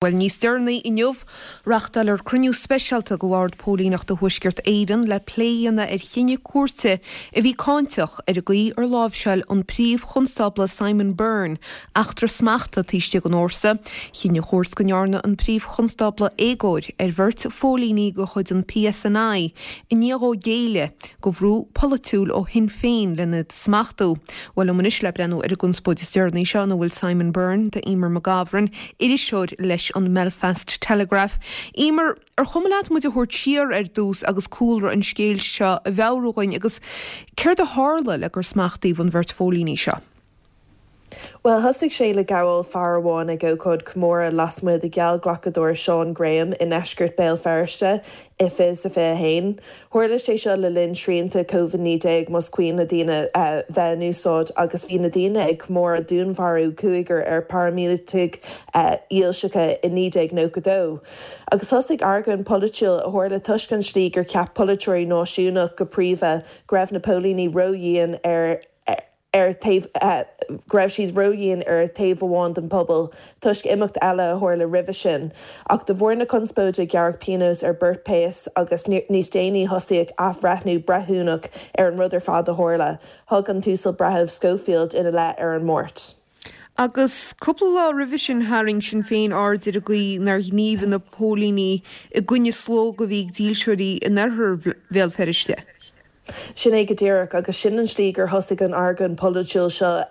Bhuel, níos deireanaí inniu, reáchtáilfear cruinniú speisialta de Bhord Póilíneachta Thuaisceart Éireann le plé a dhéanamh ar chinneadh cúirte a bhí cáinteach ar an gcaoi ar láimhseáil an Príomh-Chonstábla Simon Byrne eachtra smachta taobh istigh den fhórsa. Chinn an chúirt go ndearna an Príomh-Chonstábla éagóir ar bheirt phóilíní de chuid an PSNI i ndiaidh dhó géilleadh do bhrú polaitiúil ó Shinn Féin lena smachtú. Bhuel, liom anois le breathnú ar an gconspóid is deireanaí seo ina bhfuil Simon Byrne, tá Eimear McGovern, iriseoir leis an mBelfast Telegraph. Eimear, ar chuma leat muid a thabhairt siar ar dtús agus cúlra an scéil seo a mheabhrú dhuinn agus céard a tharla le gur smachtaíodh an bheirt phóilíní seo? Bhuel, thosaigh sé le gabháil fear amháin ag ócáid comóradh lasmuigh de gheallghlacadóir Sean Graham i ndeisceart Béal Feirste i 2021. Tharla sé seo le linn srianta Covid-19 más cuimhin le daoine bheith in úsáid agus bhí na daoine ag comóradh dúnmharú cúigear ar paraimíleataigh dhílseacha i 1992. Agus thosaigh argóint polaitiúil a tharla toisc an slí gur cheap polaiteoirí náisiúnach go príomha go raibh na póilíní ródhian ar ar taobh go raibh siad ródhian ar thaobh amháin den phobal toisc imeacht eile a tharla roimhe sin. Ach de bharr na conspóide gearradh pionós ar beirt péas agus níos déanaí thosaíodh athbhreithniú breithiúnach ar an rud ar fad a tharla. Thug an tUasal Breitheamh Schofield ina leith ar an Máirt. Agus cúpla lá roimhe sin tharraing Sinn Féin aird ar an gcaoi nár ghníomhaigh na póilíní i gcoinne slógadh a bhí ag dílseoirí in oirthear Bhéal Feirste. Sin é go díreach, agus sin an slí gur thosaigh an argóint polaitiúil seo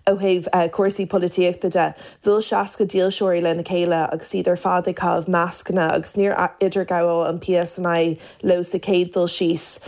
ó thaobh cúrsaí polaitíochta de. Bhuail 60 dílseoirí lena chéile agus iad ar fad ag caitheamh mascanna agus níor idirghabháil an PSNI leo sa chéad dul síos,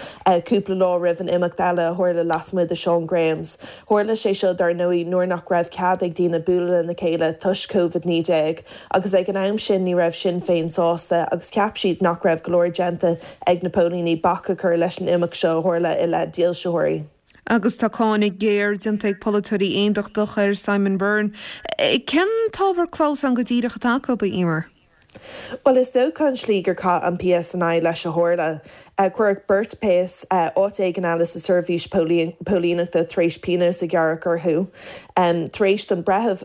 cúpla lá roimh an imeacht eile a tharla lasmuigh de Sean Graham's. Tharla sé seo dar ndóigh nuair nach raibh cead ag daoine bualadh lena chéile toisc Covid-19 agus ag an am sin ní raibh Sinn Féin sásta agus cheap siad nach raibh go leor déanta ag na póilíní bac a chur leis an imeacht seo a tharla i leith dílseoirí. Agus tá cáineadh géar déanta ag polaiteoirí aontachtach ar Simon Byrne. Cén t-ábhar clamhsáin go díreach atá acu, a Eimear? Bhuel, is dócha an slí gur chaith an PSNI leis a tharla. Cuireadh beirt péas áit éigin eile sa seirbhís póilíneachta tar éis pionós a ghearradh orthu. Tar éis don breitheamh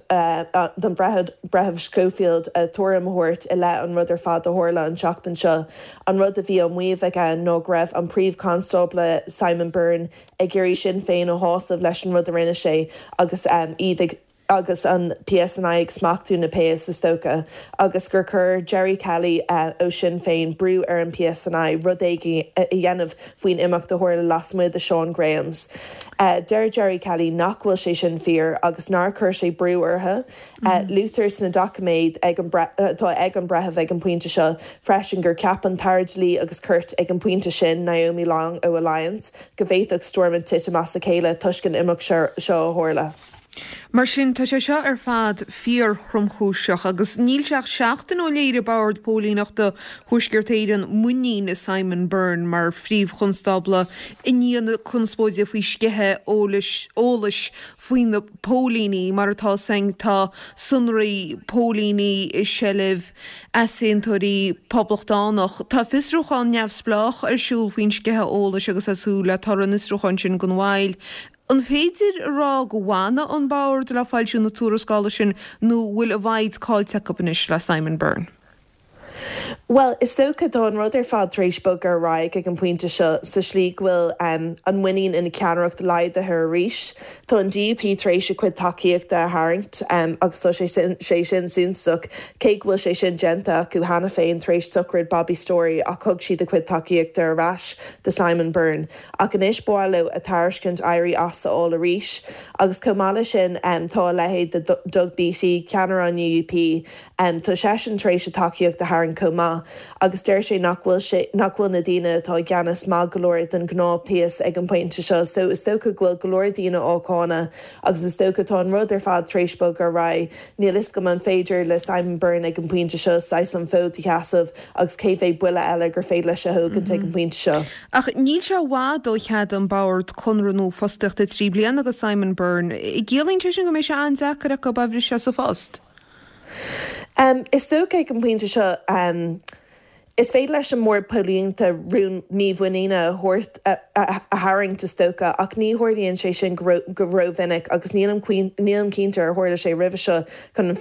don Bhreitheamh Schofield a tuairim a thabhairt i leith an rud ar fad a tharla an tseachtain seo, an rud a bhí á maíomh aige ná go raibh an Príomh-Chonstábla Simon Byrne ag iarraidh Sinn Féin a shásamh leis an rud a rinne sé agus iad ag agus an PSNI ag smachtú na bpéas, is dócha, agus gur chuir Gerry Kelly ó Sinn Féin brú ar an PSNI rud éigin a dhéanamh faoin imeacht a tharla lasmuigh de Sean Graham's. Deir Gerry Kelly nach bhfuil sé sin fíor agus nár chuir sé brú orthu. Luaitear sna doiciméid atá ag an breitheamh ag an bpointe seo freisin gur cheap an tAire Dlí agus Cirt ag an bpointe sin, Naomi Long ó Alliance, go bhféadfadh Stormont titim as a chéile toisc an imeacht seo a tharla. Mar sin, tá sé seo ar fad fíor-thromchúiseach agus níl sé ach seachtain ó léirigh Bord Póilíneachta Thuaisceart Éireann muinín i Simon Byrne mar Phríomh-Chonstábla i ndiaidh na conspóide faoi sceitheadh eolais faoi na póilíní. Mar atá 'fhios againn, tá sonraí póilíní i seilbh easaontóirí poblachtánach. Tá fiosrúchán neamhspleách ar siúl faoin sceitheadh eolais agus tá súil le toradh an fhiosrúcháin sin gan mhoill. An féidir a rá go bhfanfaidh an Bord le foilsiú na tuarascála sin nó bhfuil a bhfoighid caillte acu anois le Simon Byrne? Bhuel, is dócha, tá an rud ar fad tar éis bogadh ar aghaidh ag an bpointe seo sa slí go bhfuil an muinín ina cheannaireacht laghdaithe arís. Tá an DUP tar éis a cuid tacaíochta a tharraingt agus tá sé sin suntasach, cé go bhfuil sé sin déanta acu cheana féin tar éis sochraid Bobby Storey ach thug siad a cuid tacaíochta ar ais do Simon Byrne. Ach anois ba mhaith leo a tairiscint éirí as a fháil arís. Agus chomh maith leis sin tá a leithéid de Doug Beattie, ceannaire an UUP, tá seisean tar éis a tacaíocht a tharraingt chomh maith agus deir sé nach bhfuil sé, nach bhfuil na daoine atá i gceannas maith go leor don ghnáth péas ag an bpointe seo. So is dócha go bhfuil go leor daoine á cáineadh agus is dócha tá an rud ar fad tar éis bogadh ar aghaidh. Níl fhios agam an féidir le Simon Byrne ag an bpointe seo saghas an fód a sheasamh agus cé mhéad buille eile gur féidir leis a thógaint ag an bpointe seo. Ach níl sé i bhfad ó cheadaigh an Bord conradh nua fostaíochta 3 bliana do Simon Byrne. Ciallaíonn sé sin go mbeidh sé an-deacair acu é a bhriseadh as a phost? Is dócha ag an bpointe seo. Is féidir leis an mBord Póilíneachta rún mímhuiníne a thabhairt, a tharraingt is dócha, ach ní tharlaíonn sé sin go rómhinic agus nílim cinnte ar tharla sé roimhe seo chun an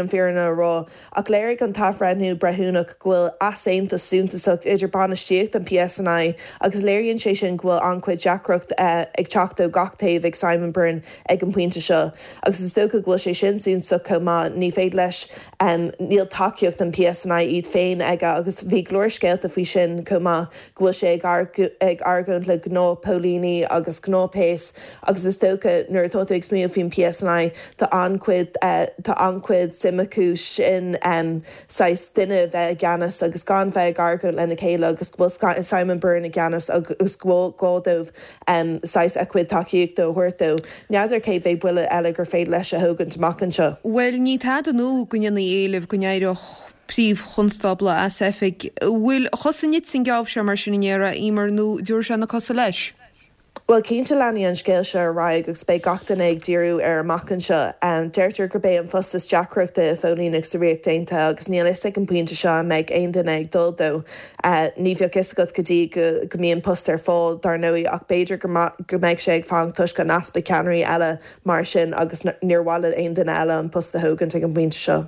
fhírinne a rá. Ach léirigh an t-athbhreithniú breithiúnach go bhfuil easaontas suntasach idir bainistíocht an PSNI agus léiríonn sé sin go bhfuil an-chuid deacracht ag teacht ó gach taobh ag Simon Byrne ag an bpointe seo. Agus is dócha go bhfuil sé sin suntasach chomh maith, ní féidir leis, níl tacaíocht an PSNI iad féin aige agus bhí go leor scéalta faoi sin chomh maith, go bhfuil sé ag argóint le gnáthphóilíní agus gnáthphéas agus is dócha nuair atá tú ag smaoineamh faoin PSNI tá an-chuid tá an-chuid suim acu sin saghas duine a bheith i gceannas agus gan bheith ag argóint lena chéile agus go bhfuil Simon Byrne i gceannas agus go bhfuil gá dóibh saghas a chuid tacaíochta a thabhairt dó. N'fheadar cé mhéad buille eile gur féidir leis a thógaint amach anseo. Bhuel ní tada nua go ndéanfaí éileamh go n-éireodh Príomh-Chonstábla as oifig. An bhfuil a chosa nite an geábh seo mar sin a ndéarfá, a Emer, nó dtabharfaidh sé na cosa leis? Bhuel, cinnte leanfaidh an scéal seo ar aghaidh agus beidh gach duine ag díriú air amach anseo. Deirtear gurb é an post is deacrachta i phóilíneacht sa Ríocht Aontaithe agus níl fhios ag an bpointe seo an mbeidh aon duine ag dul dó. Ní bheadh fhios agat go dtí go mbíonn post ar fáil, dar ndóigh, ach b'fhéidir go mbeidh sé ag fanacht toisc an easpa ceannairí eile mar sin agus níor mhaith le aon duine eile an post a thógaint ag an bpointe seo.